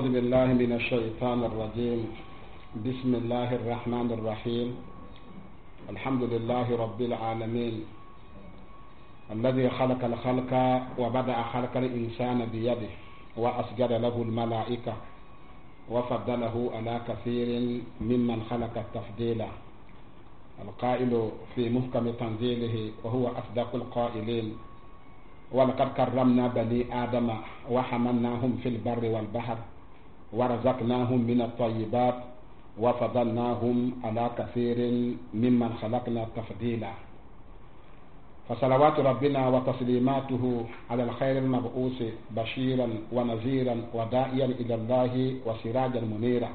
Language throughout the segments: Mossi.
أعوذ بالله من الشيطان الرجيم. بسم الله الرحمن الرحيم. الحمد لله رب العالمين الذي خلق الخلق وبدأ خلق الإنسان بيده وأسجد له الملائكة وفضله على كثير ممن خلق تفضيلا. القائل في محكم تنزيله وهو أصدق القائلين: ولقد كرمنا بني آدم وحملناهم في البر والبحر ورزقناهم من الطيبات وفضلناهم على كثير ممن خلقنا تفضيلا. فصلوات ربنا وتسليماته على الخير المبعوث بشيرا ونذيرا وداعيا إلى الله وسراجا منيرا،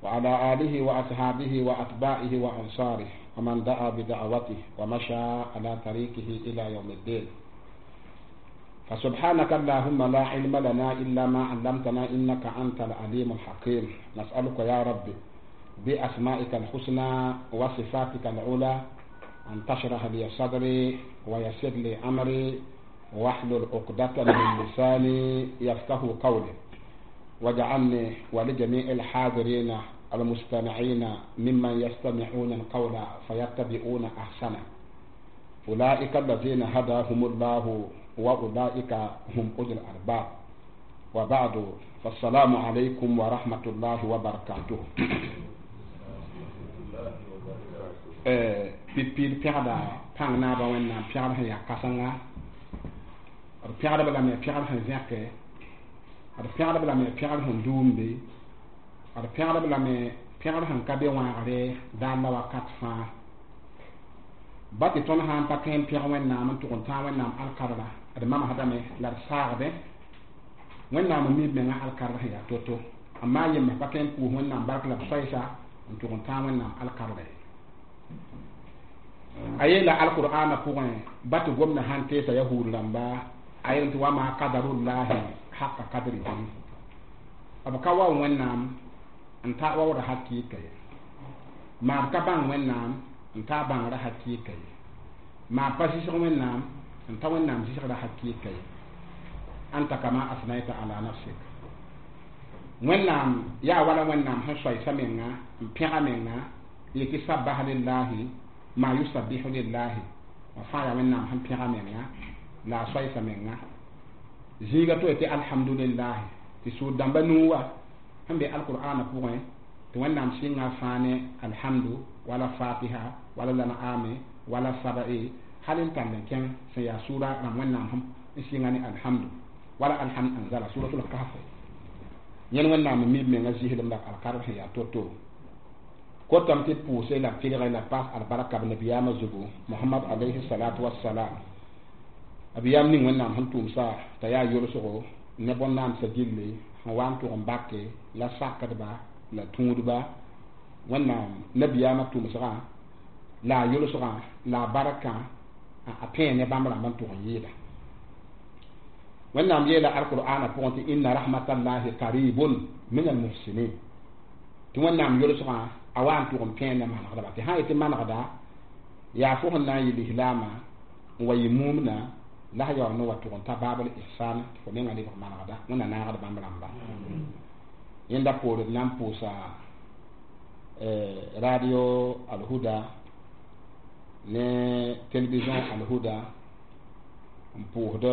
وعلى آله وأصحابه وأتباعه وأنصاره ومن دعا بدعوته ومشى على طريقه إلى يوم الدين. فسبحانك اللهم لا علم لنا إلا ما علمتنا إنك أنت العليم الحكيم. نسألك يا رب بأسمائك الحسنى وصفاتك العلى أن تشرح لي صدري ويسر لي أمري واحلل عقدة من لساني يفقه قولي، واجعلني ولجميع الحاضرين المستمعين ممن يستمعون القول فيتبعون أحسنه. أولئك الذين هداهم الله وأولئك هم أولو الألباب. وبعد، فالسلام عليكم ورحمة الله وبركاته. Pipi pɛgda pãng naaba Wẽnnaam pɛgd sẽn yaa kãsenga, d pɛgdb lame pɛgd sẽn zẽke, d pɛgdb lame pɛgd sẽn duumbe, d pɛgdb lame pɛgd sẽn ka be wãagre daar la wakat fãa. Ba tɩ tõnd sã n pa tõe n pẽg Wẽnnaam n tʋg n tãag Wẽnnaam alkadra, d mamsdame la d saagdẽ. Wẽnnaam n mi b menga alkadra sẽn yaa to-to, amma yembs pa tõe n pʋʋs Wẽnnaam bark la b soɛɛsa n tʋg n tãag Wẽnnaam alkadra ye. A yeela alqur'ana pʋgẽ ba tɩ gomdã sãn teesa yahuud rãmba, a yel tɩ wama kadarullahi haqa kadrihi, b ka wao Wẽnnaam n ta waoora hakɩɩka ye, maa b ka bãng Wẽnnaam n ta bãngrã hakɩɩka ye, maa pa zɩsg Wẽnnaam n ta Wẽnnaam zɩsgrã hakɩɩka ye. Anta kama asnaita ala nafsik. Wẽnnaam yaa wala Wẽnnaam sẽn soɛɛsa menga n pẽga menga yetɩ sabaha lillahi ma yusabbihu lillahi, wa fãa yaa Wẽnnaam sẽn pẽga menga la a soɛɛsa menga. Zĩiga to tɩ alhamdulillahi, tɩ sũur dãmba nuu wa sẽn be alqur'ana pʋgẽ tɩ Wẽnnaam sɩnga fãa ne alhamdu wala fatiha wala lan'ame wala saba'i hal n tall n kẽng sẽn yaa sʋʋra rãmb Wẽnnaam sẽn n sɩnga ne alhamdu wala alhamd anzala suratul kahf. Yẽn Wẽnnaam n mi b menga zɩslem la alkadr sẽn yaa to-to. Kotame tɩ d pʋʋse la tɩlgẽ la paas albarka b nabiyaamã zugu Mohamad alayhi salatu wassalam, b yam ning Wẽnnaam sẽn tʋʋmsa t'a yaa yolsgo ne bõn-naamsã gilli sẽn wa n tʋg n bake la sakdba la tũudba. Wẽnnaam nabiyaamã tʋmsgã la a yolsgã la a barkã a pẽe ne bãmb rãmb n tʋg n yɩɩda. Wẽnnaam yeela alqur'ana pʋgẽ tɩ inna rahmatallahi qaribun min almuhsinin, tɩ Wẽnnaam yolsgã a wa n tʋg n pẽe ne manegdba. Tɩ sã n yetɩ manegda yaa fo sẽn na n yɩ lislaamã n wa yɩ mumna la sã yaool ne wa tʋg n ta baabl ihsan tɩ fo menga lebg manegda. Wẽnna naagd bãmb rãmba. Yẽnda poore d na n pʋʋsa radio Alhuda ne télévision Alhuda n pʋʋsd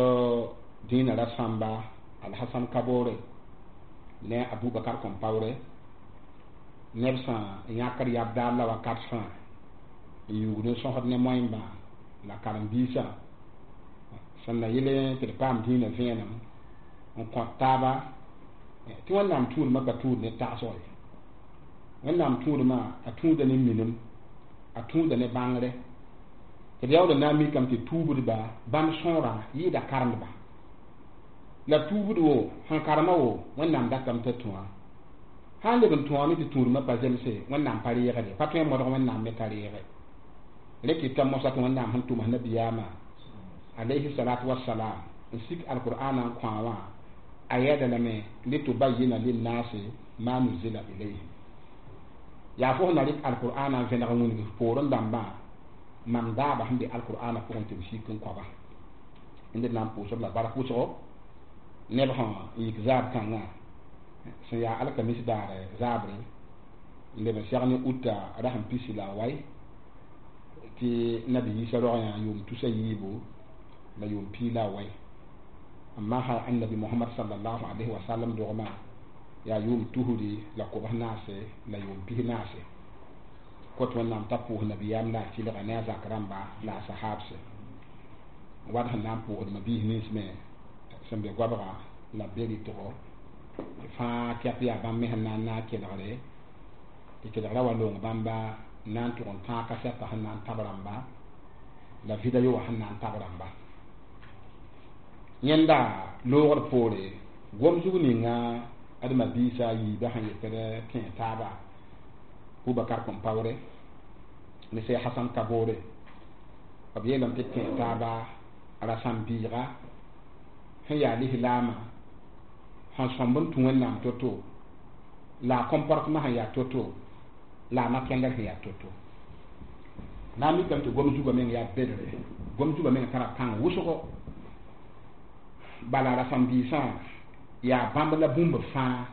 dĩinã ra sãmba Alhasan Kabore ne Abubakar Kõmpaoore neb sã n yãkd yab daar la wakat fãa n yuugd n sõsd ne moẽmbã la karen-biisã sẽn na yɩl tɩ d paam dĩinã vẽenem n kõt taaba tɩ Wẽnnaam tũudmã pa tũud ne tagsg ye. Wẽnnaam tũudmã a tũuda ne minim, a tũuda ne bãngre tɩ d yaool n na n mikame tɩ tuubdba bãmb sõora yɩɩda karendba la tuubd wo sẽn karema wo Wẽnnaam datame t'a tũa. Sã n leb n tõome tɩ tũudmã pa zemse, Wẽnnaam pa reegde, pa tõe n modg Wẽnnaam me t'a reege. Rẽ kɩta mosã tɩ Wẽnnaam sẽn tʋms nabiyaamã alayhi salatu wassalam n sik alqur'ana n kõ wã a yɛɛda lame litubayyina linnasi ma nuzila ilayhim. Yaa fo sẽn na rɩk alqur'ana n vẽneg n wilg poorẽ dãmbã mam daaba sẽn be alqur'ana pʋgẽ tɩ b sik n kõba. D na n pʋʋsb la bark wʋsgo neb sẽn yik zaab kãngã Sẽn yaa alkamis daare zaabre n leb n seg ne uta rasem pisi la a wai tɩ nabi Yiisa rog yã yʋʋm tusa yiibu la yʋʋm pii la a wai n maasa annabi Mohamad sallallahu alaihi wa sallam dogmã yaa yʋʋm tusri la kobs naase la yʋʋm pis naase kot Wẽnnaam t'a pʋʋs nabiyaam la a tɩlga ne a zak rãmba la a sahaabse wat sẽn na n pʋʋsd mabiis nins me sẽn be goabga la b be rɩtgo tɩ fãa kɛp yaa bãmb me sẽn na n naag kelgre tɩ kelgrã wa loong bãmba n na n tʋg n tãag kasɛtã sẽn na n tab rãmba la video wã sẽn na n tab rãmba yẽnda loogr poore gom zug ninga ad mabiisa a yiibã sẽn yetd kẽ taaba Bubakar Compaoré ne Sey Hasan Kabore b yeelame tɩ kẽ taaba rasam-biiga sẽn yaa lislaamã sẽn sõmb n tũ Wẽnnaam to-to la a comportement sẽn yaa to-to la a na-kẽngr sẽn yaa to-to na n mikame tɩ gom zugã meng yaa bedre gom zugã meng tara pãng wʋsgo bala rasam-biisã yaa bãmb la bũmb fãa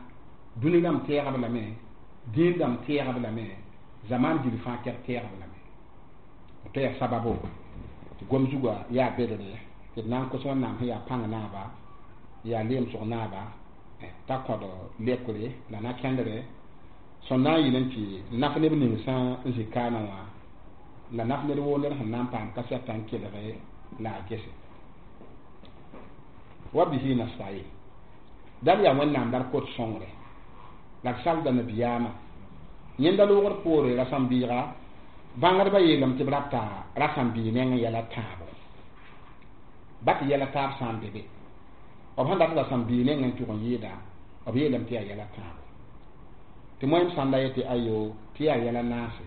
dũni rãmb tɛɛgb lame dĩin rãmb tɛɛgb lame zamaan gil fãa kɛb tɛɛgb lame tɩ yaa sababo tɩ gom zugã yaa bedre tɩ d na n kos Wẽnnaam sẽn yaa pãng naaba yaa leemsg naaba t'a kõd lekre la na-kẽndre sõn na n yɩl n tɩ naf neb ning sã n zĩ kaana wã la naf ned woo ned sẽn na n paam kasɛtã n kelge la a gese wa bihi nasta'in dal yaa Wẽnnaam la d kot sõngre la d salda nabiyaamã yẽnda loogr poore rasam-biiga bãngdbã yeelame tɩ b rata rasam-biig nengẽ yɛla tãabo ba tɩ yɛla taab sã n be be b sẽn dat rasam-biig nengẽ n tʋg n yɩɩda b yeelame tɩ yaa yɛla tãabo tɩ moẽm sãnda yetɩ ayo tɩ yaa yɛla naase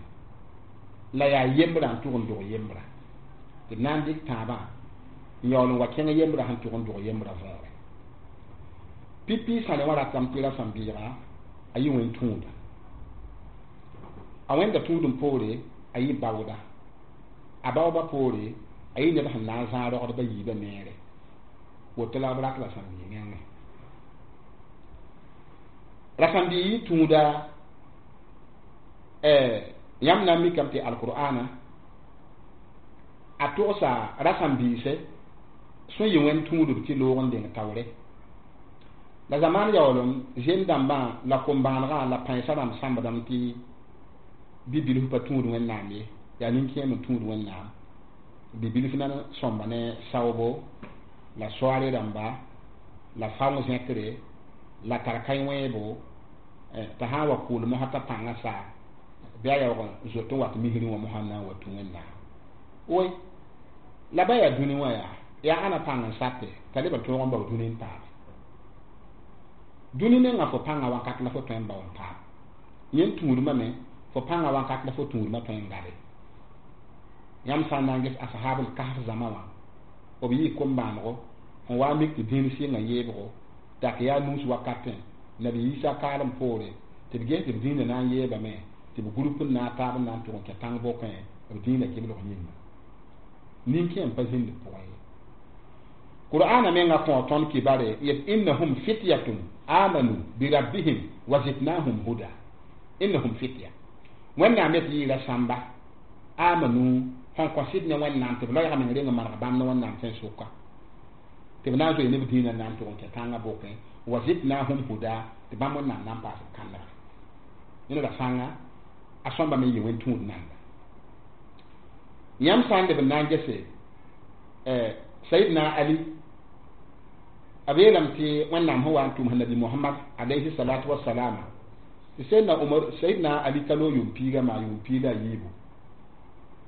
la yaa yembra n tʋg n dog yembra tɩ d na n dɩk tãabã n yaool n wa kẽng yembra sẽn tʋg n dog yembra võore pipi sãne wã ratame tɩ rasam-biiga a yɩ wẽn tũuda a wẽnda tũudum poore a yɩ baooda a baooba poore a yɩ ned sẽn na n zãag rogdba yiibã neere woto la b rat rasam-biig nengẽ rasam-biig yɩ tũuda yãmb na n mikame tɩ alqur'ana a togsa rasam-biise sẽn yɩ wẽnd tũudb tɩ loog n deng taoore la zamaan yaoolem zem dãmbã la kom-bãanegã la pãensã rãmb sãmbdame tɩ bi-bilf pa tũud Wẽnnaam ye yaa nin-kẽem n tũud Wẽnnaam bi-bilf na sõmba ne saoobo la soaare rãmba la faong zẽkre la tar kãe-wẽebo t'a sã n wa kʋʋl mosã t'a pãngã saa bɩ a yaoog n zoet n wat misrẽ wã mosã n na n wa tũ Wẽnnaam oe la ba yaa dũni wã yaa ãna pãng n sate t'a leb n tõog n bao dũni n paame dũni nengã fo pãngã wakat la fo tõe n bao n paam yẽnd tũudmã me fo pãngã wakat la fo tũudmã tõe n gale yãmb sã n na n ges ashabl kahf zãma wã b yɩɩ kom-bãanego n wa mik tɩ dĩin sɩngã yeebgo dak yaa nuus wakatẽ nabi Yiisa kaalem poore tɩ b ges tɩ b dĩinã na n yeebame tɩ b grup n na n taab n na n tʋg n kẽ tãng bokẽ b dĩinã kɩblg yĩnga nin-kẽem pa zĩnd pʋgẽ ye qur'ana menga kõ tõnd kibare yet innahum fityatun amanu birabbihim wa zidnahum huda innahum fitya Wẽnnaam yet yɩɩra sãmba amanu sẽn kõ sɩd ne Wẽnnaam tɩ b loɛɛga meng reng n maneg bãmb ne Wẽnnaam sẽn sʋka tɩ b na n zoe ne b dĩinã na n tʋg n kẽ tãngã bokẽ wa zidnahum huda tɩ bãmb Wẽnnaam na n paas b kãndga yẽne ra sãnga a sõmba me yɩ wẽn tũud nanga yãmb sã n leb n na n gese Sayidna Ali b yeelame tɩ Wẽnnaam sẽn wa n tʋms nabi Mohamad alayhi salatu wasalama tɩ Sayidna Omar Sayidna Ali ka loog yʋʋm piiga maa yʋʋm piig la a yiibu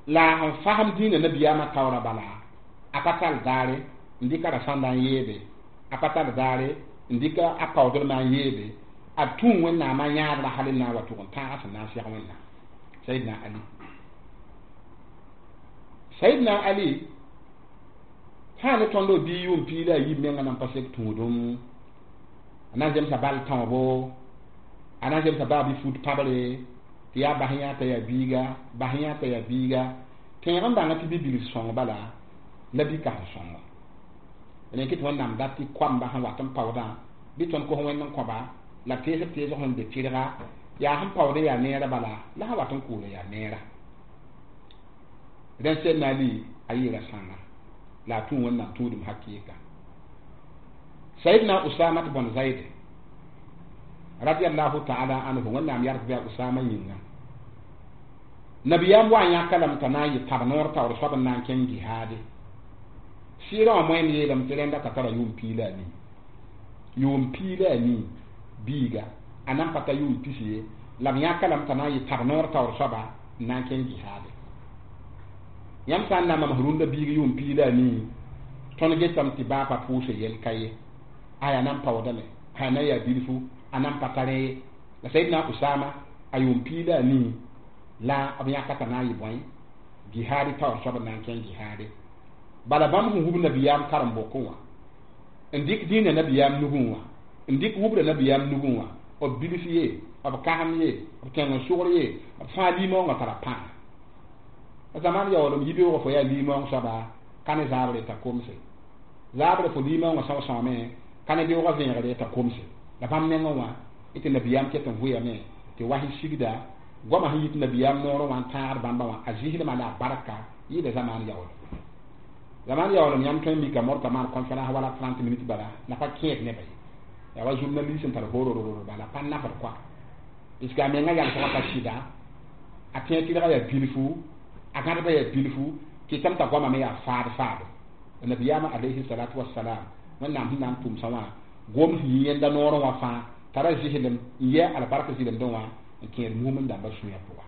la sẽn fasem dĩinã nabiyaamã taoorã bala a pa tall daare n dɩka rasãnda n yeebe a pa tall daare n dɩka a paoodrmã n yeebe a tũu Wẽnnaamã yãadrã hal n na n wa tʋg n tãaga sẽn na n seg Wẽnnaam Sayidna Ali Sayidna Ali sã ne tõnd b bii yʋʋm piig la a yiib menga nan pa sek tũudum a na n zemsa bal tãoobo a na n zemsa baa bɩ fut pãbre tɩ yaa bas yã t'a yaa biiga bas yã t'a yaa biiga tẽeg n bãnga tɩ bi-bilf sõng bala la bi-kãsem sõngo rẽk tɩ Wẽnnaam dat tɩ koamba sẽn wat n paoodã bɩ tõnd kos Wẽnd n kõba La teesb teesg sẽn be tɩrga yaa sẽn paood n yaa neerã bala la sẽn wat n kʋʋl n yaa neerã. Rẽnd Sɛdna Ali a yɩɩra sãnga la a tũ Wẽnnaam tũudum hakɩɩka. Sayidna Usama tɩ bõn Zaid radiallahu ta'ala anhu, Wẽnnaam yars bɩ a Usama yĩnga, nabiyaam wa n yãka lame t'a na n yɩ tab noor taoor soab n na n kẽng jihaade. Sɩɩrã wã moẽnd yeelame tɩ rẽnda t'a tara yʋʋm piig la a nii, yʋʋm piig la a nii biiga, a nan pa ta yʋʋm pisi ye, la b yãka lame t'a na n yɩ tab noor taoor soaba n na n kẽng jihaade. Yãmb sã n na mam rũndã biig yʋʋm piig la a nii, tõnd getame tɩ baa pa pʋʋse yɛl ka ye, aya nan paoodame, aya nan yaa bilfu, a nan pa ta rẽ ye. La Sayidna Usama a yʋʋm piig la a nii la b yãka t'a na n yɩ bõe jihaade taoor soab n na n kẽng jihaade. Bala bãmb sẽn wub nabiyaam karen-bokẽ wã n dɩk dĩinã nabiyaam nugẽ wã, n dɩk wubra nabiyaam nugẽ wã, b bilf ye, b kasem ye, b kẽng n sʋgr ye, b fãa limaoongã tara pãnga. Zaman yaoolem yibeoogã fo yaa limaoong soaba ka ne zaabre t'a komse, zaabre fo limaoongã sõs-sõame ka ne beoogã vẽegre t'a komse. La bãmb nengẽ wã tɩ nabiyaam ket n vʋyame tɩ was sigda goamã sẽn yit nabiyaam noorẽ wã n tãagd bãmba wã a zɩsdmã la a barka yɩɩda zamaan yaoolem. Zaman yaoolem yãmb tõe n mika morta maan conférence wala 30 minutes bala la pa kẽed nebã ye, yaa wa journaliste n tar horororo bala pa nafd koa, puisque a menga yalsgã pa sɩda, a tẽeg tɩrgã yaa bilfu, a gãdbã yaa bilfu, kɩtame t'a goamã me yaa faad faado. Nabiyaamã alayhi salatu wasalam, Wẽnnaam sẽn na n tʋmsã wã gom sẽn yɩ yẽnda noorẽ wã fãa tara zɩslem n yɛ albarka zɩlemdẽ wã n kẽed mumend dãmbã sũyã pʋga.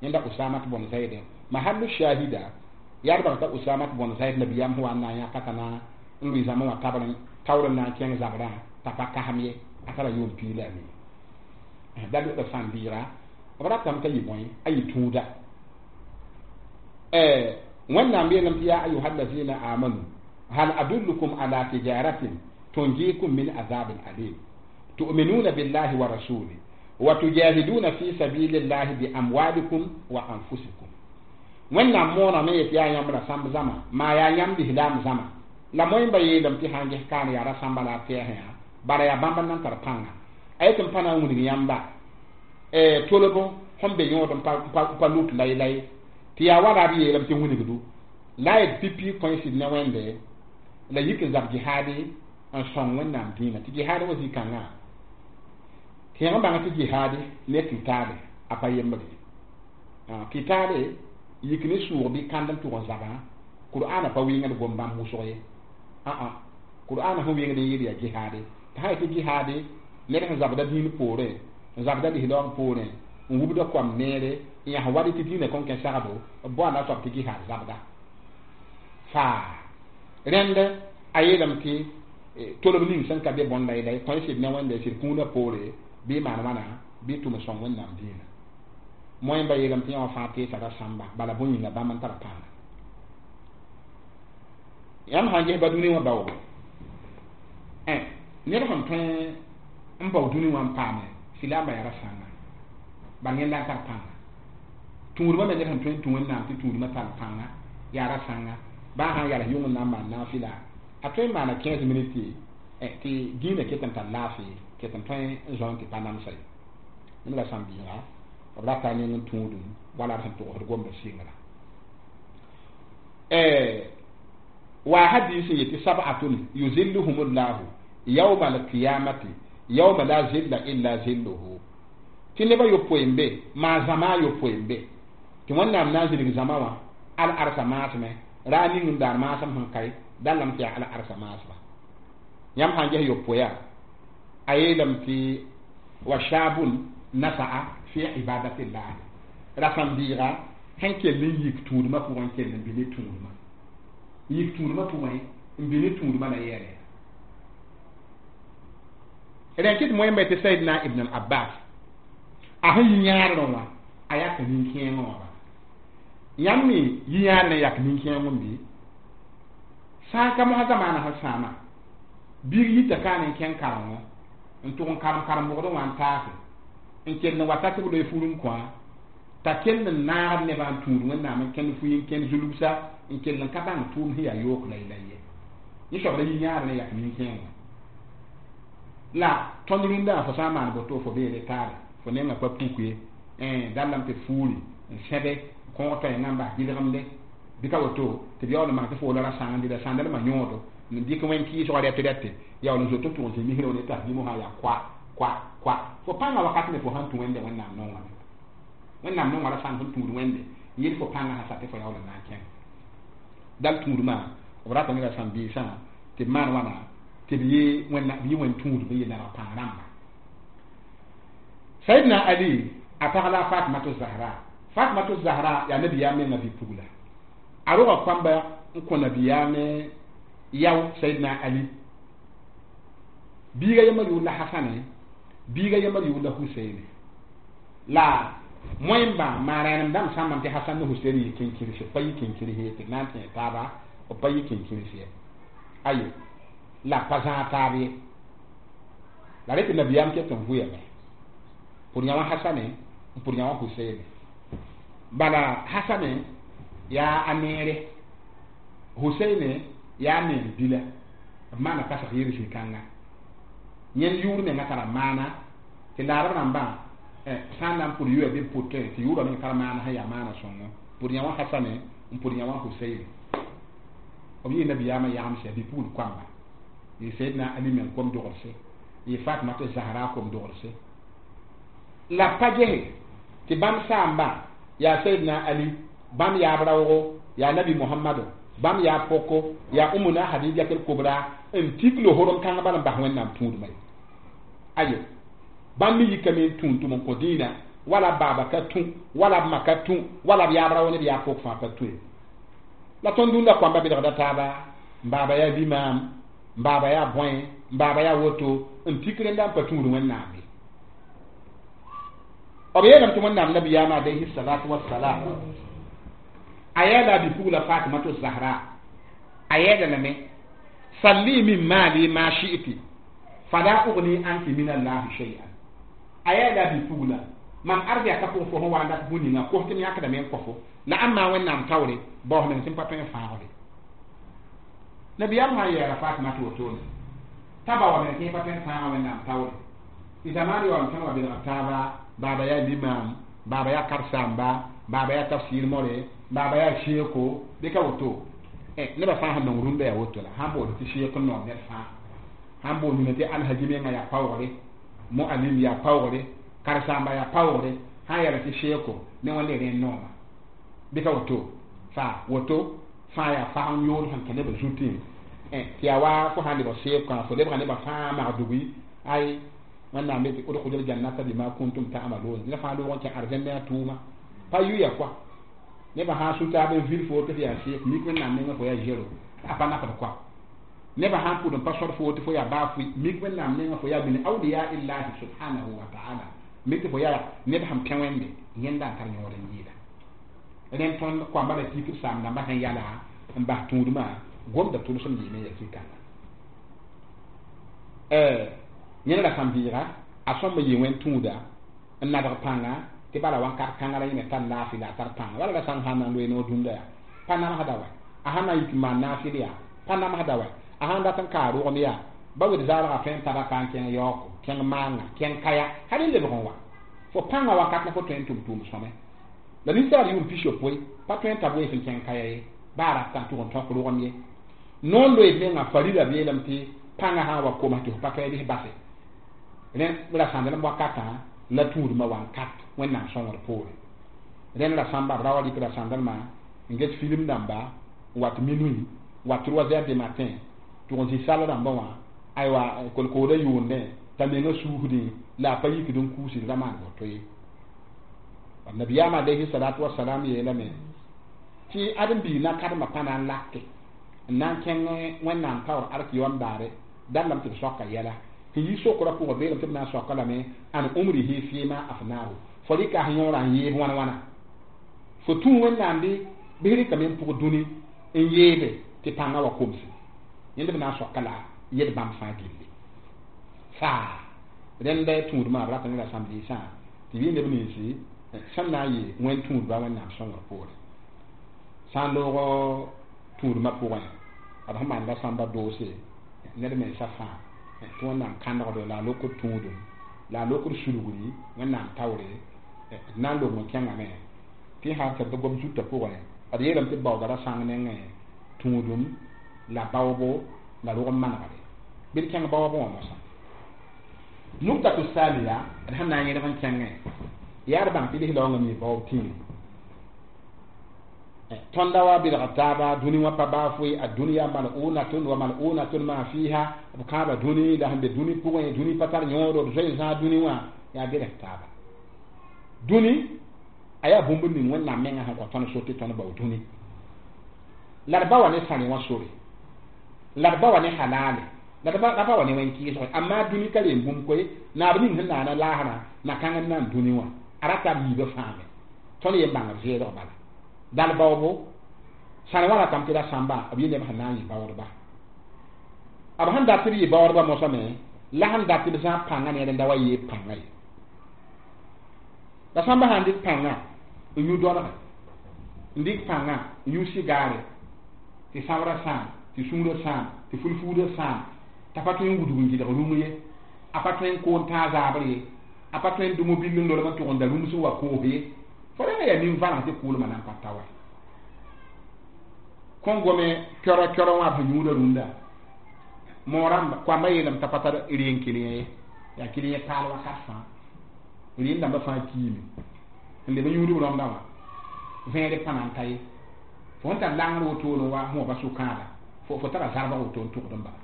Yẽnda Usama tɩ bõn Zaid, mahallu shahida yaa d bag t'a Usama tɩ bõn Zaid nabiyaam sẽn wa n na n yãka t'a na n lʋɩ zãma wã tabr taoor n na n kẽng zabrã t'a pa kasem ye, a tara yʋʋm piig la a nii. Da lʋgda sãn bɩɩga b ratame t'a yɩ bõe, a yɩ tũuda. Wẽnnaam yeelame tɩ yaa ayuha allazina amanu hal adullukum ala tijaratin tunjikum min azabin alim tu'minuna billahi wa rasuli wa tujahiduna fi sabilillahi bi amwalikum wa anfusikum. Wẽnnaam mooname yetɩ yaa yãmb ra sãmb zãma maa yaa yãmb lislaam zãma la moẽmba yeelame tɩ sãn ges kaan yaa ra sãmba la a tɛɛsẽ yã bala yaa bãmb n nan tar pãnga a yetɩ n pa na n wilg yãmba tolb sẽn be yõod n pa lut laylay tɩ yaa wala d yeelame tɩ wilgdu la a yet pipi kõe sɩd ne Wẽnde la yik n zab jihaade n sõng Wẽnnaam dĩinã tɩ jihaad wa zĩ-kãngã tɩ yãng bãng tɩ jihaade ne kitaale a pa yembre. Kitaale yik ne sʋʋg bɩ kãnd n tʋg n zabã, Qur'ana pa wɩngd gom bãmb wʋsg ye. Aa Qur'ana sẽn wɩngd n yeel yaa jihaade, tɩ sã yetɩ jihaade ned sẽn zabda dĩin poorẽ, n zabda lislaoong poorẽ, n wubda koam neere n yãs wad tɩ dĩinã kõn kẽ sagdo b boanda soab tɩ jihaad zabda faa. Rẽnd a yeelame tɩ tolb ning sẽn ka be bõn laylay tõe sɩd ne Wẽnde sɩd kũunã poore bɩ maan wãna bɩ tʋm n sõng Wẽnnaam dĩinã. Moẽmba yeelame tɩ yã wã fãa teesa ra sãmba bala bõe yĩnga bãmb n tar pãnga. Yãmb sãn ges ba dũni wã baoogo, ned sẽn tõe n bao dũni wã n paame silaambã yaa ra sãnga bal yẽnda n tar pãnga. Tũudmã me ned sẽn tõe n tũ Wẽnnaam tɩ tũudmã tar pãnga yaa ra sãnga baa sãn yals yʋng n na n maan naafɩla a tõe n maana 15 minutes tɩ dĩinã ket n tar laafɩ ket n tõe n zõ tɩ pa namsa ye. Neb la sãn-biiga b rata neng n tũudum wala d sẽn togsd gomda sɩngrã wa hadis yetɩ sab'atun yuzilluhum llahu yawma alqiyamati yawma la zilla illa zilluhu, tɩ nebã yopoe n be maa zãma a yopoe n be tɩ Wẽnnaam na n zĩnig zãma wã al arsa maasmẽ ra ning n daar maasem sẽn kae dallame tɩ yaa al arsa maasma. Yãmb sãn ges yopoeya a yeelame tɩ wa shabun nasa'a fi ibadatillahi, rasãn-biiga sẽn kell n yik tũudmã pʋgẽ n kell n bɩ ne tũudmã, yik tũudmã pʋgẽ n bɩ ne tũudmã la yɛɛle rẽn kɩt moẽmba tɩ Saidna Ibn al Abbas a sẽn yi yãadrẽ wã a yak nin-kẽengẽ wã ba yãmb me yi yãadrẽ yak nin-kẽeng n bɩ sã n ka mosã zamaana sẽn sãama biig yita kaan n kẽng karengo n tʋg n karem karen-bʋgdẽ wã n taase n kell n wa ta tɩ b loe fur n kõ t'a kell n naagd nebã n tũud Wẽnnaam n kẽnd fui n kẽnd zulubsa n kell n ka bãng tʋʋm sẽn yaa yook laylay ye. Yẽ soab la yi yãadrẽ yak nin-kẽengã. La tõnd rũndã fo sã n maan boto fo beele taare fo nengã pa puk ye dallame tɩ fuuri n sẽbe kõog toɛɛngã n bas gɩlgemde bɩ ka woto tɩ b yaool n maan tɩ fo la ra sãng n dɩ la sãndalmã yõodo n dɩk wẽn kɩɩsgã rɛt rɛte yaool n zoet n tʋg n zĩ misrã ne t'a bĩmosã yaa koa koa koa fo pãngã wakat me fo sãn tũ wẽnde wẽnnaam nongame wẽnnaam nongã ra sãng sẽn tũud wẽnde n yel fo pãngã sã sa tɩ fo yaool n na n kẽng dal tũudmã b rata ne rasãm-biisã tɩ b maan wãna tɩ b yɩ wẽn tũud bɩ yɩ nadg pãng rãmba. Sayyidina Ali a pag la Fatimatu Zahra. Fatimatu Zahra yaa nabiyaam menga bi-pugla a roga kãmba n kõ nabiyaame yao Sayyidina Ali biiga yembr yʋʋr la Hasane biiga yembr yʋʋr la Huseine la moẽmba maa-rẽenem dãmb sãmbame tɩ Hasan ne Husein yɩ kẽnkirse pa yɩ kẽnkirse ye tɩ d na n tẽ taaba b pa yɩ kẽnkirse ye ayo la pa zãag taab ye la rẽ tɩ nabiyaam ket n vʋyame pʋr yã wã Hasane n pʋr yã wã Huseine bala Hasane yaa a neere Huseine yaa a neer bila b maana kasg yɩr zĩ-kãnga yẽnd yʋʋr menga tara maana tɩ laarb rãmbã sã n na n pʋr yʋa bɩ b pʋtẽ tɩ yʋʋrã meng tar maana sẽn yaa maana sõngo pʋr yã wã Hasane n pʋr yã wã Huseine b yɩ nabiyaamã yagemsã bɩ-pugl koamba yɩ Sayyidina Ali meng kom dogdse yɩ Fatimata Zahra kom dogdse la pa gese tɩ bãmb saamba yaa Sayyidina Ali bãmb yaab raoogo yaa Nabi Muhammado bãmb yaa poko yaa Umuna Hadijatul Kubra n tik lohorem kãng bala n bas wẽnnaam tũudmã ye ayo bãmb me yikame n tũud tʋm n kõ dĩinã wala b baaba ka tũ wala b ma ka tũ wala b yaab rao ne b yaab pok fãa pa tũ ye la tõnd dũnda kõamba bɩlgda taaba n baaba yaa limaam n baaba yaa bõe n baaba yaa woto n tik rẽnda n pa tũud wẽnnaam ye b yeelame tɩ wẽnnaam nabiyaamã alayhi salatu wassalam a yɛɛla a bi-pugla Fatimatu Zahra a yɛɛla lame salli min maali ma shi'ti fala ugni anki min allahi shay'an a yɛɛla a bi-pugla mam arzɛka pʋgẽ fo sẽn wa n dat bũ-ninga kos tɩ m yãkdame n kõ-fo la ãn maa wẽnnaam taoore baoos meng tɩ m pa tõe n fãagde nabiyaam sã n yɛɛra Fatima tɩ wotone t'a ba wa meng tɩ pa tõe n fãaga wẽnnaam taoore tɩ zamaan yaool tõnd wa belg taaba baaba yaa limaam baaba yaa karsamba baaba yaa tafsir more baaba yaa sheeko bɩ ka woto nebã fãa sẽn nong rũndã yaa woto la sãn bood tɩ sheek n noor ned fãa sãn boond nina tɩ alhaji menga yaa paoogre moalim yaa paoogre karsamba yaa paoogre sãn yɛla tɩ sheeko ne wẽnde rẽ n nooma bɩ ka woto faa woto fãa yaa fag n yood sẽn kẽ nebã zutẽ tɩ yaa wa fo sãn lebg seebkã fo lebga nebã fãa magdugui ay wẽnnaam be tɩ udkhulul jannata bima kuntum ta'malun ned fãa loog n kẽ arzẽndẽ a tʋʋma pa yʋya koa nebã sã n su-taab n vil fo tɩ f yaa seek mik wẽnnaam nengẽ fo yaa zero a pa nafd koa nebã sã n pʋd n pa sõd fo tɩ fo yaa baa fʋɩ mik wẽnnaam nengẽ fo yaa min awliya illahi subhanahu wa ta'ala mik tɩ fo yaa ned sẽn pẽ wẽnde yẽnda n tar yõod n yɩɩda rẽnd tõnd koamba la tik b saam dãmbã sẽn yala n bas tũudmã gomda tʋlsem yɩɩme ya zĩ-kãnga yẽnd rasam-bɩɩga a sõmb yɩ wẽn tũuda n nadg pãnga tɩ bala wãnkat kãnga la yẽ me tar laafɩ la a tar pãnga wala la sãn sãn na n loe noor dũnda yaa pa namsda wa a sãn na n yik n maan naafɩl yaa pa namsda wa a sãn dat n kaa rogem yaa ba wed zaalgã tõe n tara ka n kẽng yaooko kẽng maanga kẽng kaya hal n lebg n wa fo pãngã wakat la fo tõe n tʋm tʋʋm sõme la ninsaal yʋʋm 60 pa tõe n tab wees n kẽng kaya ye baa rata n tʋg n tõk rogem ye noor loeed menga farila beelame tɩ pãngã sã n wa koms tɩ fo pa tõe bɩs base rẽ rasãndlem wakatã la tũudmã wãnkat wẽnnaam sõngr poore rẽnd rasãmba b ra wa rɩk rasãndlmã n get film dãmba n wat minuit wat 3 heures du matin tʋg n zĩ sall rãmbã wã aywa kolkoodã yʋʋndẽ t'a menga suusdẽ la a pa yikd n kuusd ra maan woto ye nabiyaam alayhi salatu wasalam yeelame tɩ ãdem-biig na kademã pa na n lake n na n kẽng wẽnnaam taoor ark yoam daare dallame tɩ b soaka yɛla tɩ yi sokra pʋgã beelame tɩ b na n soaka lame an umrihi fima afnahu fo rɩka sẽn yõorã n yeeb wãn wãna fo tũ wẽnnaam bɩ bɩ rɩkame n pʋg dũni n yeebe tɩ pãngã wa komse yẽnd b na n soaka la yel bãmb fãa gilli faa rẽnd tũudmã b rat ne rasãm-biisã tɩ yɩ neb ninsi sẽn na n yɩ wẽn tũudba wẽnnaam sõngr poore sã n loog tũudmã pʋgẽ d sẽn maanda sãmba doose ned mensã fãa Tɩ Wẽnnaam kãndgdo la a lokd tũudum la a lokd sulgri Wẽnnaam taoore d na n lobg n kẽngame tɩ sã n tɩ gom zutã pʋgẽ d yeelame tɩ baooda ra sãng nengẽ tũudum la baoobo la rog n manegre bɩ d kẽng baoobẽ wã mosã. Nuktatu thaniya d sẽn na n yẽlg n kẽngẽ yaa d bãng tɩ lislaoongã mi baoob tĩiri. Tõnda wa bɩlg taaba dũni wã pa baa foe ad-dunya mal'unatun wa mal'unatun ma fiha b kãaba dũni la sẽn be dũni pʋgẽ dũni pa tar yõodo d zoe zãag dũni wã yaa bɩls taaba dũni a yaa bũmb ning Wẽnnaam mengã sẽn kõ tõnd so tɩ tõnd bao dũni la d ba wa ne sãne wã sore la d ba wa ne halale la d ba wa ne wẽn-kɩɩsg amma dũni ka reen bũmb koe naab ning sẽn naana laasrã na-kãng n nan dũni wã a rata b yiibã fãame tõnd yen bãngd zeelg bala dal baoobo sãne wã ratame tɩ ra sãmba b yɩ neb sẽn na n yɩ baoodba b sẽn dat tɩ b yɩ baoodba mosame la sẽn dat tɩ b zãab pãngã neer n da wa yeeb pãngã ye la sãmba sã n dɩk pãngã n yũ dɔlge n dɩk pãngã n yũ sigaare tɩ sãoorã sãam tɩ sũurã sãam tɩ fulfuudã sãam t'a pa tõe n wudg n gɩdg rũm ye a pa tõe n koon tãag zaabr ye a pa tõe n dʋm bill n lolem n tʋg n da rũm sẽn wa koos ye fo rẽnga yaa nin-vãreng tɩ kʋʋlmã na n pa ta wa kõn gome kɛrɔ kɛrɔ wã b sẽn yũudã rũndã moorãmba koamba yeelame t'a pa tar reen kɩlẽ ye yaa kɩlẽ paal wakat fãa reen dãmbã fãa kiime n leb n yũudb rõmdã wã vẽere pa na n ta ye fo sẽn tar langr wotone wa sẽn wa pa sʋkãada fo tara zarbg woto n tʋgd n bala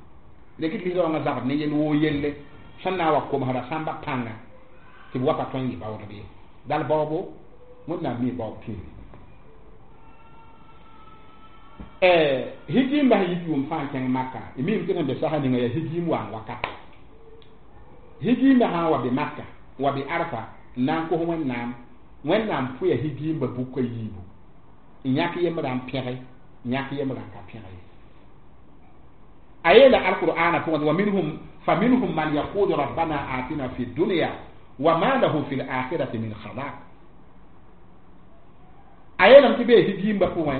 rek tɩ lislaoongã zabd ne yel woo yelle sẽn na n wa komsda sãmba pãnga tɩ b wa pa tõe n yɩ baoodb ye dal baoobo Wẽnnaam mi baoob tĩiri higiimba sẽn yit yʋʋm fãa n kẽng Maka y miime tɩ sẽn be sasa ninga yaa higiim waan wakat higiimba sã n wa be Maka wa be Arfa n na n kos Wẽnnaam Wẽnnaam pʋya higiimba bʋka yiibu n yãk yembrã n pẽge n yãk yembrã n ka pẽge ye a yeela alqur'ana pʋgẽ wa minhum fa minhum man yaqulu rabbana atina fi dunya wa ma lahu fi l'akhirati min khalaq a yeelame tɩ bee higiimba pʋgẽ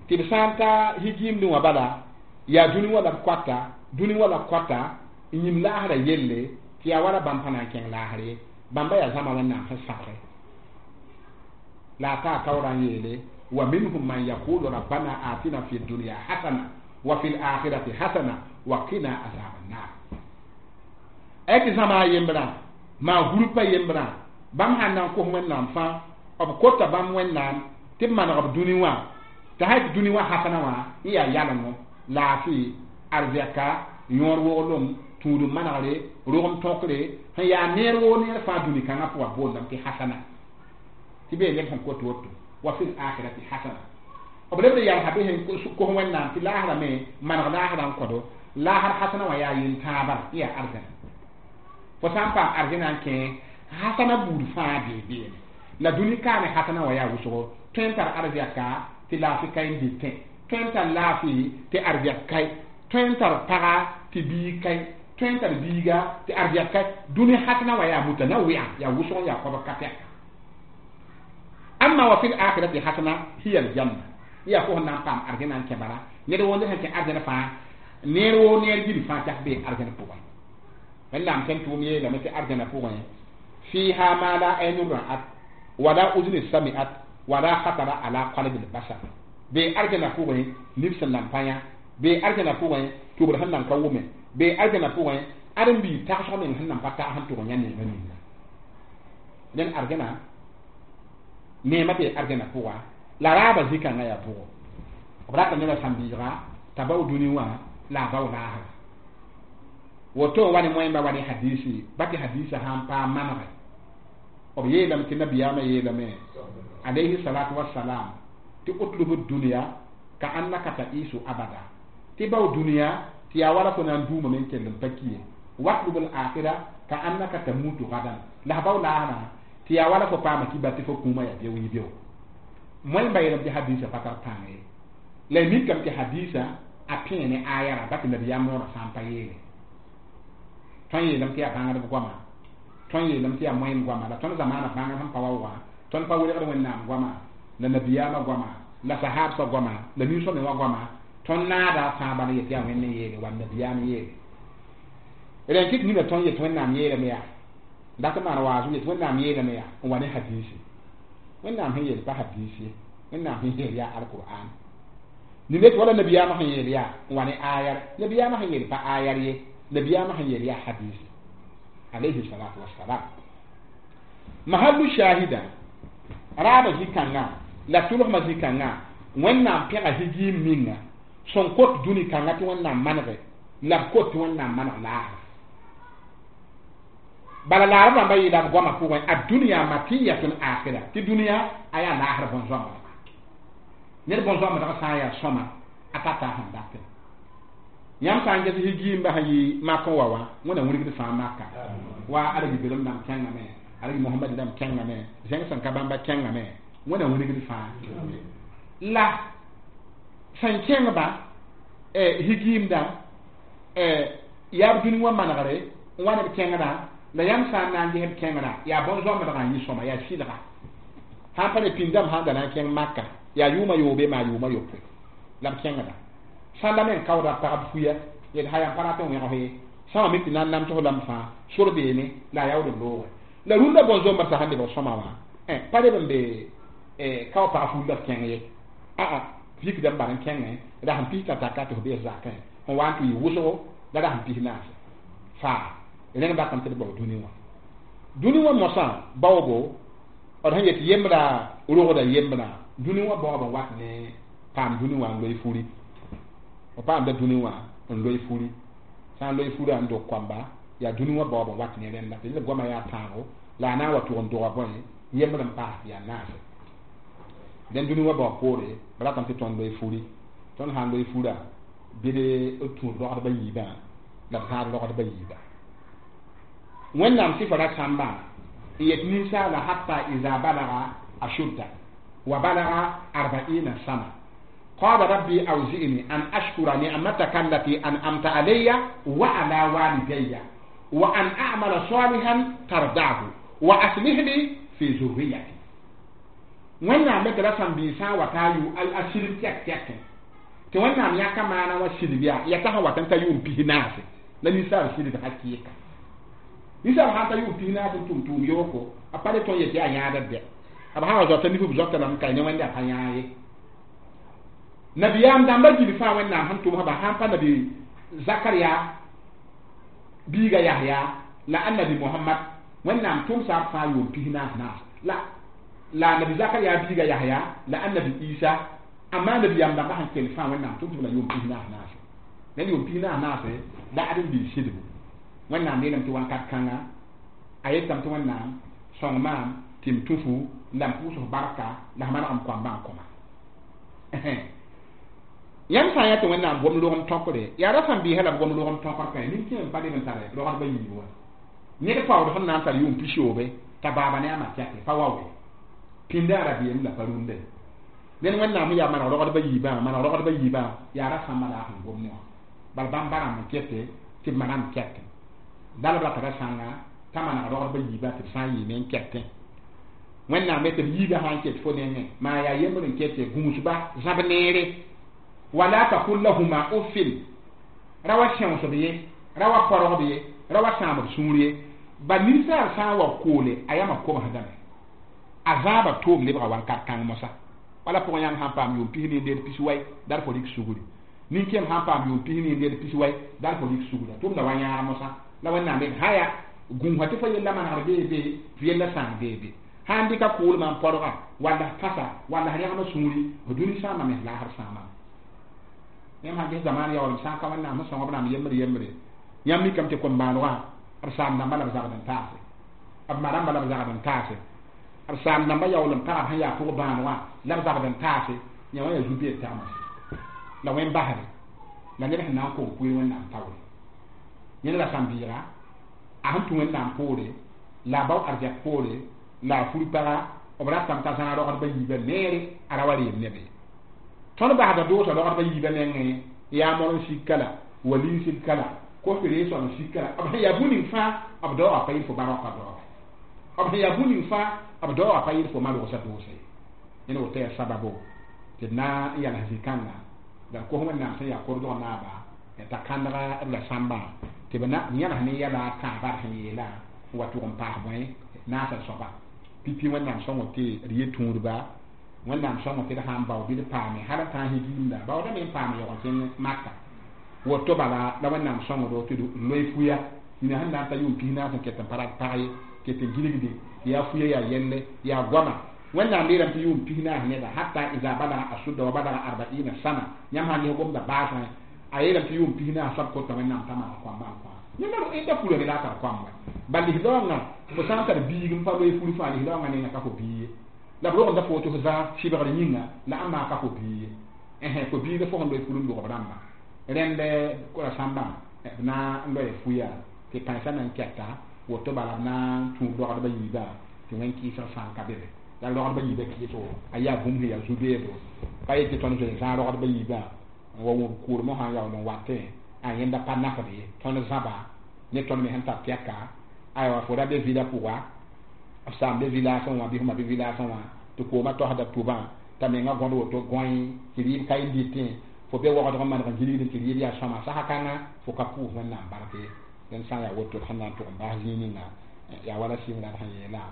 tɩ b sã n ta higiimdẽ wã bala yaa dũni wã la b koata dũni wã la b koata n yĩm laasrã yelle tɩ yaa wala bãmb pa na n kẽng laasr ye bãmba yaa zãma Wẽnnaam sẽn sabge la a taa taoorã n yeele wa minhum man yaqulu rabbana atina fi dunya hasana wa fi l'akhirati hasana wa qina azab annar a tɩ zãma a yembrã maa gurpa yembrã bãmb sãn na n kos Wẽnnaam fãa b kota bãmb Wẽnnaam tɩ b maneg b dũni wã t'a sã tɩ dũni wã hasana wã n yaa yalengo laafɩ arzɛka yõor woglem tũudum manegre rogem tõkre sẽn yaa neer woo neer fãa dũni kãngã pʋga boondame tɩ hasana tɩ bee neb sẽn kot woto wa fil akhirati hasana b lebd n yalsa bɩ sẽn kos Wẽnnaam tɩ laasrã me maneg laasrã n kõdo laasr hasana wã yaa yel-tãabã n yaa arzɛna fo sã n paam arzɛna n kẽ hasana buud fãa bee beene la dũni kaame hasana wã yaa wʋsgo tõe n tar arzɛka tɩ laafɩ ka n dɩtẽ tõe n tar laafɩ tɩ arzɛk kae tõe n tar paga tɩ biig kae tõe n tar biiga tɩ arzɛk kae dũni hasana wã yaa muta na wɩa yaa wʋsg n yaa koabg ka tɛka amma wa fil akhirati hasana hiya aljanna yaa fo sẽn na n paam arzɛna n kẽ bala ned woo ned sẽn kẽ arzɛn fãa neer woo neer gil fãa tak bee arzɛn pʋgẽ Wẽnnaam sẽn tʋʋm yeelame tɩ arzɛnã pʋgẽ fiha ma la aynun ra'at wala udni sami'at wala khatara ala qalbi al-bashar bee arzɛnã pʋgẽ nib sẽn nan pa yã bee arzɛnã pʋgẽ tʋbr sẽn nan ka wʋme bee arzɛnã pʋgẽ ãdem-biig tagsg meng sẽn nan pa tag sẽn tʋg n yã neemã ninga ned arzɛnã neemã bee arzɛnã pʋga la raabã zĩ-kãngã yaa pʋgɔ b rata nebã sãn-biiga t'a bao dũni wã la a bao laasra woto wa ne moẽmba wa ne hadisi ba tɩ hadisa sã n paam manege b yeelame tɩ nabiyaamã yeelame alayhi salatu wassalam tɩ utlubu dunia ka annaka ta'isu abada tɩ bao dũniyã tɩ yaa wala fo na n duumame n kell n pa ki ye watlub al akhira ka annaka tamutu gadan la f bao laasrã tɩ yaa wala fo paama kiba tɩ fo kũumã yaa beo yɩ beo moẽmba yeelame tɩ hadisa pa tar pãng ye la y mikame tɩ hadisa a pẽe ne ayara ba tɩ nabiyaam noorã sã n pa yeele tõnd yeelame tɩ yaa bãngdb goama tõnd yeelame tɩ yaa moẽm goama la tõnd zamaana bãngd sẽn pa wa wa tõnd pa welgd Wẽnnaam goama la nabiyaamã goama la sahabsã goama la ninsõ me wã goama tõnd naada fãa bala yetɩ yaa Wẽnd n yeele wall nabiyaam yeele Rẽn kɩt nina tõnd yet Wẽnnaam yeelame yaa dat n maan waasem yet Wẽnnaam yeelame yaa n wa ne hadiisi. Wẽnnaam sẽn yeel pa hadiis ye, Wẽnnaam sẽn yeel yaa alqur'an. Nina tɩ wala nabiyaamã sẽn yeel yaa n wa ne ayar, nabiyaamã sẽn yeel pa ayar ye, nabiyaamã sẽn yeel yaa hadiisi alayhi salatu wassalam. Mahallu shahida raaba zĩ-kãngã la tʋlsmã zĩ-kãngã Wẽnnaam pẽga higiim ninga sẽn kot dũni kãngã tɩ Wẽnnaam manege la b kot tɩ Wẽnnaam maneg laasra. Bala laarb rãmba yeela b goamã pʋgẽ ad-dunya matiyatun akhira, tɩ dũniyã a yaa laasr bõn-zoamdga. Ned bõn-zoamdg sã n yaa sõma a tata a sẽn datẽ. Yãmb sã n ges higiimba sẽn yɩ mak n wa wã, Wẽnna wilgd fãa maka wa Arab-belem dãmb kẽngame, Arab Mohamad dãmb kẽngame, zẽng sẽn ka bãmba kẽngame, Wẽnna wilgd fãa la sẽn kẽngba higiim dãmb yaa b dũni wã manegre n wa ne b kẽngdã. La yãmb sã n na n ges b kẽngrã yaa bõn-zoamdgã n yɩ sõma, yaa sɩlga. Sãn pa ne pĩndame sãn da na n kẽng Maka yaa yʋʋmã yoobe maa yʋʋmã yopoe la b kẽngda. Sãnda meng kaooda pagb fuya yel ha yãmb pa rat n wẽgs ye, sã wã me tɩ na n namsg lame fãa sor beene la a yaood n looge. La rũndã bõn-zoamdã sẽn lebg sõma wã pa leb n be kao pag ful la b kẽng ye, aa vikda n bar n kẽngẽ rasem pis tã taka tɩ f bees zakẽ n wa n tɩ yɩ wʋsgo la rasem pis naase faa. Rẽnd bakame tɩ d bao dũni wã. Dũni wã mosã baoogo d sẽn yet yembra rogda yembra dũni wã baoob n wat ne paam dũni wã n loe furi. B paamda dũni wã n loe furi, sã n loe furã n dog koamba yaa dũni wã baoob n wat ne rẽnda tɩ d goamã yaa tãago la a na n wa tʋg n doga bõe yembr n paas tɩ yaa naase. Dẽn dũni wã baoob poore b ratame tɩ tõnd loe furi. Tõnd sã n loe furã bɩ d tũud rogdba yiibã la b zãad rogdba yiibã. Wẽnnaam sɩfa ra sãmbã n yet ninsaala hatta iza balaga ashudda wa balaga arba'ina sana qala rabbi awzi'ni an ashkura ni'mataka allati an'amta alayya wa ala walidayya wa an a'mala salihan tardahu wa aslih li fi zurriyati. Wẽnnaam me tɩ ra sãn-biisã wa t'a yʋ a silb tɛk tɛkẽ tɩ Wẽnnaam yãka maana wã silb yaa ya t'a sẽn wat n ta yʋʋm pis naase la ninsaal silb hakɩɩka. Ninsaal sãn ta yʋʋm pis naas n tʋm tʋʋm yooko a pa le tõe n yet yaa yãadr dɛ, b sã wa zoata nif b zoata lame ka ne Wẽnde a pa yãa ye. Nabiyaam dãmba gil fãa Wẽnnaam sẽn tʋmsba sãn pa nabi Zakaria biiga Yahya la annabi Mohamad Wẽnnaam tʋmsa b fãa yʋʋm pis naas naas la nabi Zakaria biiga Yahya la annabi Isa amma nabiyaam dãmba sẽn kell fãa Wẽnnaam tʋmsb la yʋʋm pis naas naase. Ned yʋʋm pis naas naase la ad n bil sidbu. Wẽnnaam yeelame tɩ wãnkat kãnga a yetame tɩ Wẽnnaam sõng maam tɩ m tũ-fu la m pʋʋs f barka la f maneg m koamba n kõma. Yãmb sã n yaa tɩ Wẽnnaam gom logem tõkre yaa ra sãn-biisã la b gom logem tõkr kã nin-kẽem pa leb n tare rogdba yiib wã. Ned paood sẽn na n tar yʋʋm pisoobe t'a baaba ne a ma tɛke pa wa we pĩndã a rabeem la pa rũndã. Ned Wẽnnaam yaa maneg rogdba yiibã, maneg rogdba yiibã yaa ra sãmba la a sẽn gom ne wã. Bala bãmb ba rãmb n kete tɩ b manam kɛtẽ dalb ra tara sãnga t'a maneg rogdba yiibã tɩ b sã n yɩɩme n kɛtẽ. Wẽnnaam me tɩ b yiibã sã n ket fo nengẽ maa yaa yembr n kete gũusba zãb neere wala taqul lahuma uffin ra wa sẽosb ye, ra wa porgb ye, ra wa sãam b sũur ye. Ba ninsaal sã n wa koole a yama komsdame a zãaba toom lebga wãnkat kãng mosã. Wala pʋgẽ yãmb sãn paam yʋʋm pis ne nder pis wai dar fo rɩk sugri, nin-kẽem sãn paam yʋʋm pis ne nder pis wai dar fo rɩk sugra tʋmda wa yãag mosã. La Wẽnnaam yel haya gũusã tɩ fo yella manegr bee be tɩ yella sãang bee be sã n dɩka koolmã n porga walla f kãsa walla f rẽgma sũuri f dũni sãama me f laasr sãamame. Yãmb sãn ges zamaan yaoolem sã n ka Wẽnnaam sẽn sõng b rãmb yembre yembre yãmb mikame tɩ kom-baalgã b saam dãmba la b zagd n taase, b ma rãmba la b zagd n taase, b saam dãmba yaoolem pagb sẽn yaa pʋg bãanegã la b zagd n taase. Yã wã yaa zu-beed tagmã la wẽn basre la ned sẽn na n kong kʋɩ Wẽnnaam taoore. Yẽnd la sãn-bɩɩga a sẽn tũ Wẽnnaam poore la a bao arzɛk poore la a fur paga b ratame t'a zãag rogdba yiibã neere a ra wa reem neb ye. Tõnd basda doosa rogdba yiibã nengẽ yaa moren sika la walin sika la kos ree sõm sika la b sẽn yaa bũ-ning fãa b daoogã pa yɩl fo barõka daooga, b sẽn yaa bũ-ning fãa b daoogã pa yɩl fo ma-rogsa doose ye. Yẽnd woto yaa sababo tɩ d na n yals zĩ-kãnga la d kos Wẽnnaam sẽn yaa kordg naaba t'a kãndga b la sãmbã Tɩ b yãnes ne yɛla a tãabã d sẽn yeelã n wa tʋg n paas bõe naasã soaba pipi Wẽnnaam sõngo tɩ d yet tũudba Wẽnnaam sõngo tɩ d sãn bao bɩ d paame hal n tãag higiimda baoodame n paam yaoog n kẽng Maka woto bala la Wẽnnaam sõngdo tɩ d loe fuya nina sẽn na n ta yʋʋm 40 n ket n pa rat pag ye ket n gilgde yaa fuya yaa yelle yaa goama Wẽnnaam yeelame tɩ yʋʋm 40 neda hatta iza balaga asudda wa balaga arbaina sana yãmb sãn ges gomda baasẽ a yeelame tɩ yʋʋm 40 soab kota Wẽnnaam t'a maan koamba n kõ neda furame la a tar koam wa bal lislaoongã fo sã n tar biig n pa loe fur fãa lislaoongã nenga ka fo bii ye la b rogenda fo tɩ fo zã sɩbgr yĩnga la ãmb maa ka fo bii ye fo biiga fo sẽn loe fur n log b rãmba rẽnd kora sãmbã b na n loe fuya tɩ pãensã na n kɛta woto bala b na n tũub rogdbã yiibã tɩ wẽn kɩɩsg sã n ka be be la rogdbã yiibã kɩɩsgo a yaa bũmb sẽn yaa zu-beedo pa yetɩ tõnd zoe zãag rogdbã yiibã n wa wʋm kʋʋrmã sã n yaool n watẽ a yẽnda pa nafd ye tõnd zãba ne tõnd me sẽn tar tɛka aywa fo ra be vila pʋga b saam be vilaasẽ wã bɩ fma be vilaasẽ wã tɩ koomã tosda tʋbã t'a menga gõd woto gõe tɩ rɩɩb ka y dɩtẽ fo be waoogdg n maneg n gilgd tɩ rɩɩb yaa sõma sasa kãngã fo ka pʋʋs Wẽnnaam bark ye dẽnd sã n yaa woto d sẽn na n tʋg n bas zĩig ninga yaa wala sɩngrã d sẽn yeelã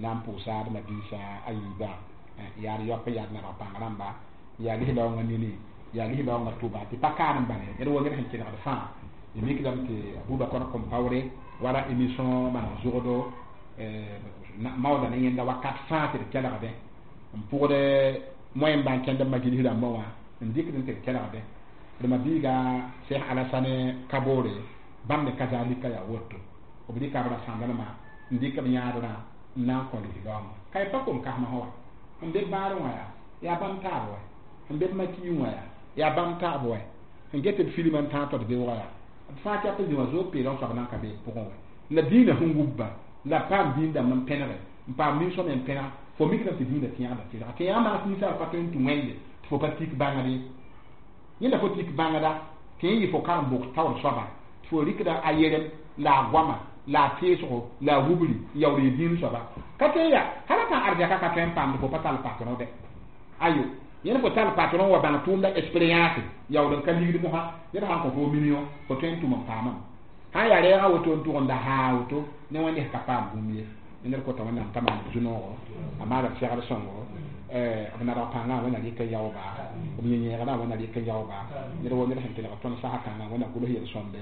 na n pʋʋsa d mabiisã a yiibã yaa d yaop yaa d nabg pãng rãmba yaa lislaoongã nini yaa lislaoongã tʋba tɩ pa kaar n bale ned wo ned sẽn kelgd fãa y mikdame tɩ Abubakar Kɔmpawre wala émission maneg zʋgdo maooda ne yẽnda wakat fãa tɩ d kelgdẽ n pʋgd moyen bãn kẽnd b ma gils rãmbã wã n dɩkd n tɩ d kelgdẽ d mabiiga Cheikh Alasane Kabore bãmb me kazalika yaa woto b rɩka b ra sãndanema n dɩk b yãadrã n na n kõ lislaoongã ka y pa kom kasmã wa n be baarẽ wã yaa bãmb taab wa n be maki wã yaa bãmb taab wa n get b filmã n tãag tɩ d beoogã yaa b fãa kɛp zĩ wã zoog peelg soab nan ka be pʋgẽ wa la dĩinã sẽn wubba la paam dĩin dãmb n pẽnege n paam nin-sõma n pẽneg fo mikdame tɩ dĩinã tẽegda tɩlga tɩ yaa maas ninsaal pa tõe n tũ wẽnde tɩ fo pa tik bãngd ye yẽnda fo tik bãngda tɩ yẽ yɩ fo karem bok taoor soaba tɩ fo rɩkda a yerem la a goama la a teesgo la a wubri n yaool yɩ dĩin soaba ka tõe n yaa hala tã arzɛka ka tõe n paamd fo pa tall patron dɛ ayo yẽnd fo tall patron wa bãng tʋʋmda expérience yaool n ka ligd mosã ned sã n kõ fo million fo tõe n tʋm n paamame sã n yaa rɛɛgã woto n tʋg n da haa woto ne wẽnd ka paam bũmb ye ned kota Wẽnnaam t'a maan zu-noogo a maana b segd sõngo b nadg pãngã Wẽnna rɩk n yaooba b yẽ-yẽegdã Wẽnna rɩk n yaooba ned wo ned sẽn kelg tõnd sasa kãngã Wẽnna gʋls yel-sõmde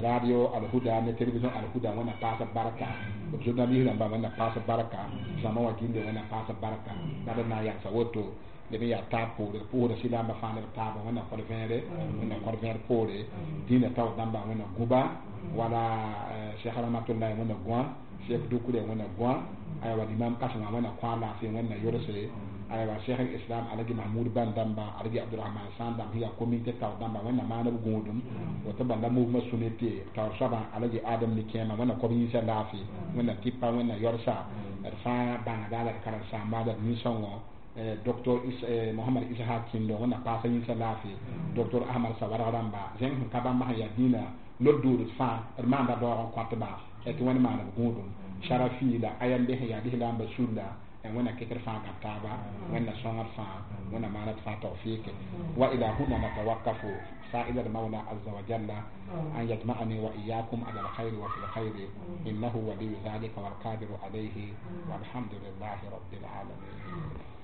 radio Alhuda ne télévision Alhuda Wẽnna paas b barka b journaliste rãmba Wẽnna paas b barka zãma wã gilli Wẽnna paas b barka la d na n yagsa woto leb n yaa taab poore pʋʋsda sɩlamba fãa ne b taabã Wẽnna kõd vẽere Wẽnna kõd vẽer poore dĩinã taoor dãmbã Wẽnna gũba wala Cheikh Rahmatullahi Wẽnna gõa Cheikh Dukure Wẽnna gõa aywa limam kãsengã Wẽnna kõ a laafɩ Wẽnna yolse aywa Cheikh Islam Alagi Mahmud Ban dãmba Alagi Abdurahman Sãn dãmb sẽn yaa communauté taoor dãmba Wẽnna maan b gũudum woto bala mouvement sunnite taoor soabã Alagi Adam ni kẽema Wẽnna kõb yĩnsã laafɩ Wẽnna tipa Wẽnna yɔrsa d fãa bãngda la d karen-saamba la d nin-sõngo docteur Mohamad Ishaq Kindo Wẽnna paasa yĩnsã laafɩ docteur Ahmad Sawarg rãmba zẽng sẽn ka bãmba sẽn yaa dĩinã lod-dood fãa d maanda daoog n kõtba tɩ Wẽnd maan b gũudum sarafi la ayambe sẽn yaa lislaambã sulla Wẽnna ket d fãa gãb taaba Wẽnna sõngd fãa Wẽnna maana d fãa tawfik wa ila huna natawakafu سائل المولى عز وجل أن يجمعني وإياكم على الخير وفي الخير إنه ولي ذلك والقادر عليه والحمد لله رب العالمين.